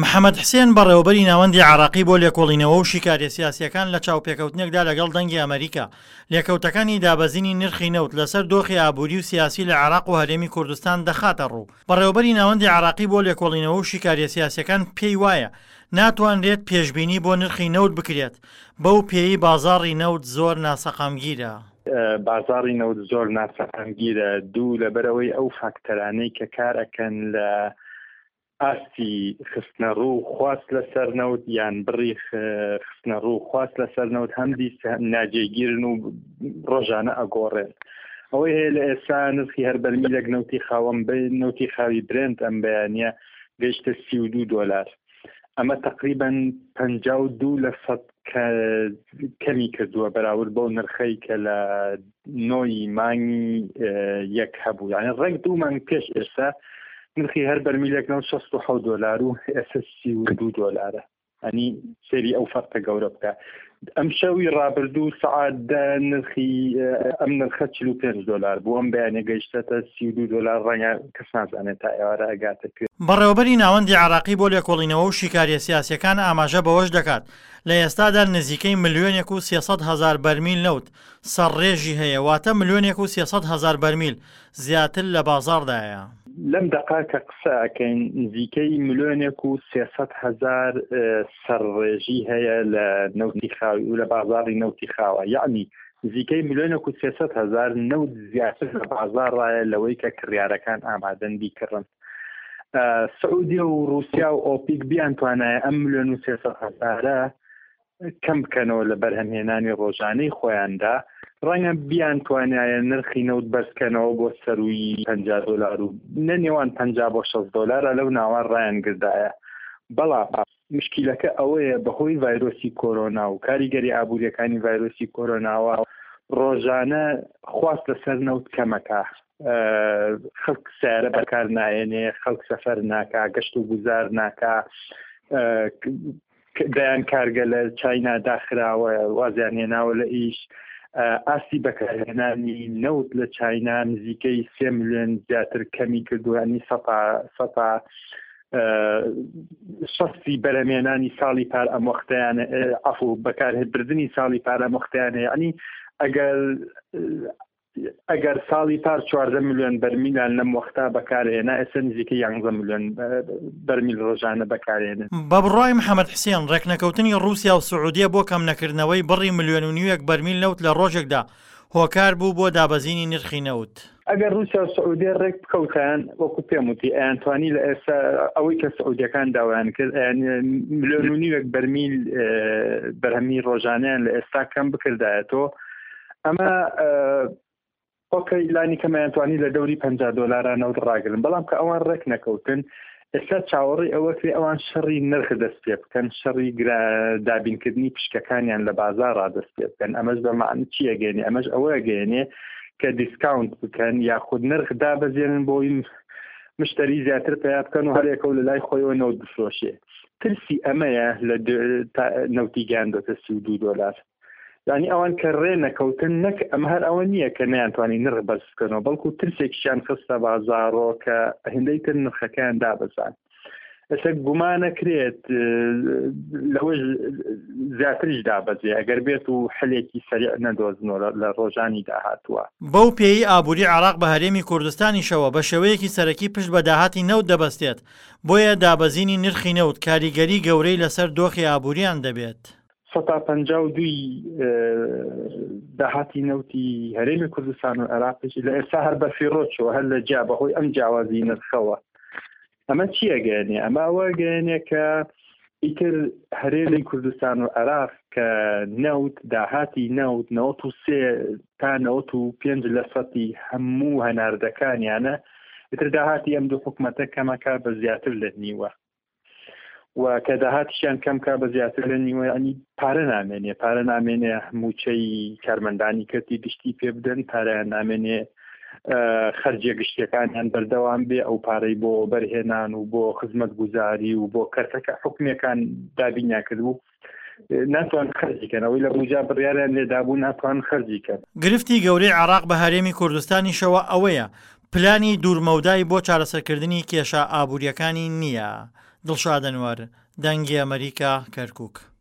محەمەد حسێن بەڕێوەبەری ناوەندی عێراقی بۆ لێکۆڵینەوە و شیکاریە سیاسیەکان لە چاوپێکەوتنێکدا لەگەڵ دەنگی ئەمەریکا لێکەوتەکانی دابەزینی نرخی نەوت لەسەر دۆخی ئابوری و سیاسی لە عێراق و هەرێمی کوردستان دەخاتە ڕوو. بەڕێوەبەری ناوەندی عێراقی بۆ لێکۆڵینەوە و شیکاریە سیاسیەکان پێی وایە ناتوانرێت پێشبینی بۆ نرخی نەوت بکرێت بەو پێیەی بازاڕی نەوت زۆر ناسەقامگیرە. بازاڕی نەوت زۆر ناسەقامگیرە، دوو لەبەرئەوەی ئەو فاکتەرانەی کە کار ئەکەن لە ئاستی خستنەڕوو خواست لەسەر نەوت یان بڕی خستنەڕوو خواست لەسەر نەوت هەم ناجێگیرن و ڕۆژانە ئەگۆڕێن. ئەوەی هەیە لە ئێستا نرخی هەر بەرمیلێک نەوتی خاوەم نەوتی خاوی برێنت ئەم بەیانە گەیشتە 32 دۆلار. ئەمە تقریبا 52 لە سەد کەمی کردووە بەراورد بەو نرخەی کە لە نۆی مانگی یەک هەبوو یعنی ڕێک دوو مانگ پێش ئێستا نرخی هەر بەرمیلێک نەوت 67 دۆلار و ئێستا 32 دۆلارە ئەنی سێری ئەو فەرقە گەورە بکە ئەم شەوی ڕابردوو سەعات دە نرخی ئەم نرخە 45 دۆلار بوو ئەم بەیانە گەیشتەتە 32 دۆلار ڕەنگە کەس نازانێت تا ئێوارە ئەگاتە کوێ. بەڕێوەبەری ناوەندی عێراقی بۆ لێکۆڵینەوە و شیکارییە سیاسییەکان ئاماژە بەوەش دەکات، لە ئێستادا نزیکەی ملیۆنێک و 300 هەزار بەرمیل نەوت سەرڕێژی هەیە، واتە ملیۆنێک و 300 هەزار بەرمیل زیاتر لە بازاڕدایە. لەم دەقە کە قسە ئەکەین نزیکەی ملیۆنێک و 300 هەزار سەرڕێژی هەیە لە نەوتی خاوی و لە بازاڕی نەوتی خاوە، یەعنی نزیکەی ملیۆنێک و 300 هەزار نەوت زیاتر لە بازاڕایە لەوەی کە کڕیارەکان ئامادەن بیکڕن. سعودیە و رووسیا و ئۆپیک بیانتوانایە ئەم ملیۆن و 300 هەزارە کەم بکەنەوە لە بەرهەمهێنانی ڕۆژانەی خۆیاندا، ڕەنگە بیانتوانایە نرخی نەوت بەرزکەنەوە بۆ سەرووی 50 دۆلار و لە نێوان 50 بۆ 60 دۆلارە لەو ناوە ڕایانگردایە. بەڵام مشکیلەکە ئەوەیە بەهۆی ڤایرۆسی کۆرۆنا و کاریگەری ئابووریەکانی ڤایرۆسی کۆرۆناوە ڕۆژانە خواست لەسەر نەوت کەمەکە، خەڵک سیارە بەکار نایەنێ، خەڵک سەفەر ناکا، گەشت و گوزار ناکا، دەیان کارگە لە چاینا داخراوە وازیان هێناوە لە ئیش ئاستی بەکارهێنانی نەوت لە چاینا نزیکەی سێ ملیۆن زیاتر کەمی کردووە ینی سەتا سەتا شەستی بەرەمێنانی ساڵی پار ئەم وەختیان عفو بەکارهێبردننی ساڵی پار ئەم وەختیان هەیە ینی ئەگەر ئەگەر ساڵی پار 14 ملیۆن بەرمیلان لەم وەختە بەکارهێنا، ئێستا نزیکەی 11 ملیۆن بەرمیل ڕۆژانە بەکارهێنن. بە بڕوای محەمەد حسێن، ڕێکنەکەوتنی ڕووسیا و سعودیە بۆ کەمنەکردنەوەی بڕی ملیۆن و نیوێک بەرمیل نەوت لە ڕۆژێکدا هۆکار بوو بۆ دابەزینی نرخی نەوت. ئەگەر ڕووسیا و سعودیە ڕێک بکەوتایان، وەکو پێم وتی، ئەیانتوانی لە ئێستا ئەوەی کە سعودیەکان داوایان کرد، ئەیان ملیۆن و نیوێک بەرمیل بەرهەمی ڕۆژانەیان لە ئێستا کەم بکردایەتەوە، ئەمە ئۆکەی لانی کەمیان توانی لە دەوری 50 دۆلارا نەوت ڕاگرن بەڵام کە ئەوان ڕێک نەکەوتن ئێستا چاوەڕی ئەوە کرێ ئەوان شەڕی نرخ دەست پێ بکەن شەڕی دابینکردنی پشکەکانیان لە بازاڕا دەست پێ بکەن ئەمەش بە معنی چی ئەگەێنێ ئەمەش ئەوە ئەگەێنێ کە دیسکاونت بکەن یاخود نرخ دابەزێنن بۆی مشتری زیاتر پیا بکەن و هەرێکە و لە لای خۆیەوە نەوت بفرۆشێ ترسی ئەمەیە لە نەوتی گەیاندۆتە 32 دۆلار یانی ئەوان کە ڕێ نەکەوتن نەک ئەمە هەر ئەوە نییە کە نەیانتوانی نرخ بەرز بکەنەوە بەڵکو ترسێکیشیان خستە بازاڕۆ کە هێندەی تر نرخەکەیان دابەزان ئێستا گومانەکرێت لەوەش زیاتریش دابەزێ ئەگەر بێت و حلێکی سەریع نەدۆزنەوە لە ڕۆژانی داهاتووە. بەو پێیەی ئابووری عێراق بە هەرێمی کوردستانیشەوە بە شێوەیەکی سەرەکی پشت بە داهاتی نەوت دەبەستێت، بۆیە دابەزینی نرخی نەوت کاریگەری گەورەی لەسەر دۆخی ئابووریان دەبێت. سەتا 52ی داهاتی نەوتی هەرێمی کوردستان و عێراقیش لە ئێستا هەر بە فیڕۆ چووە هەر لە جیا بەهۆی ئەم جیاوازی نرخەوە ئەمە چییە گەێنێ ئەمە ئەوە گەێنێ کە ئیتر هەرێمی کوردستان و عێراق کە نەوت داهاتی نەوت 93 تا 95 لە سەتی هەموو هەناردەکانیانە ئیتر داهاتی ئەم دوو حکومەتە کەمەکە بە زیاتر لە نیوە و کە داهاتیشیان کەم کا بە زیاتر لە نیوە ینی پارە نامێنێ پارە نامێنێ موچەی کارمەندانی کەرتی گشتی پێ بدەن پارەیان نامێنێ خەرجیە گشتیەکانیان بەردەوام بێ ئەو پارەی بۆ بەرهێنان و بۆ خزمەت گوزاری و بۆ کەرتەکە حکومیەکان دابینیان کردبوو ناتوان خەرجی کەن ئەوەی لە بوجا بڕیاریان لێدابوو ناتوان خەرجی کەن. گرفتی گەورەی عێراق بە هەرێمی کوردستانیشەوە ئەوەیە پلانی دوورمەودای بۆ چارەسەرکردنی کێشە ئابوورییەکانی نییە. دڵشاد ئەنوەر، دەنگی ئەمەریکا، کەرکوک.